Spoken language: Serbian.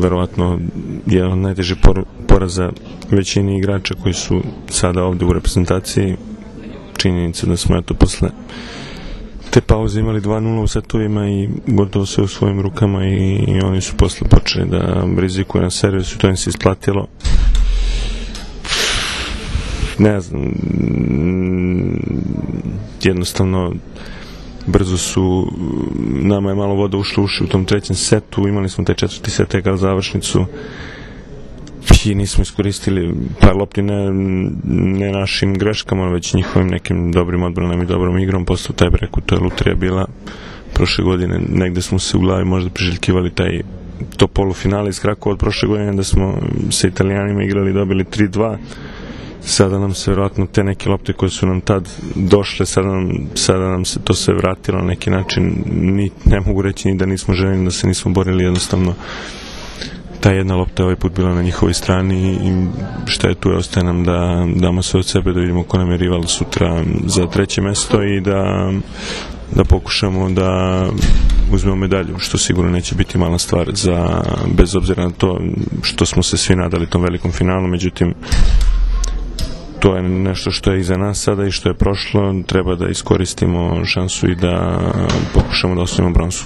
Verovatno jedan od najtežih poraza većini igrača koji su sada ovde u reprezentaciji. Činjenica da smo posle te pauze imali 2-0 u setovima i gotovo sve u svojim rukama i oni su posle počeli da rizikuju na servisu i to im se isplatilo. Ne znam, jednostavno brzo su, nama je malo voda ušla uši u tom trećem setu, imali smo taj četvrti set kao završnicu i nismo iskoristili par lopti ne našim greškama, već njihovim nekim dobrim odbranom i dobrom igrom. Posle taj breku, to je lutrija bila prošle godine, negde smo se u glavi možda priželjkivali to polufinale iz Krakova od prošle godine da smo sa Italijanima igrali i dobili 3-2. Sada nam se vjerojatno te neke lopte koje su nam tad došle, sada nam se to sve vratilo na neki način. Ne mogu reći ni da nismo željeli, da se nismo borili, jednostavno ta jedna lopta je ovaj put bila na njihovoj strani i šta je tu, ostaje nam da damo sve od sebe, da vidimo ko nam je rival sutra za treće mesto i da pokušamo da uzmemo medalju, što sigurno neće biti mala stvar, bez obzira na to što smo se svi nadali tom velikom finalu. Međutim, to je nešto što je iza nas sada i što je prošlo, treba da iskoristimo šansu i da pokušamo da osvojimo bronzu.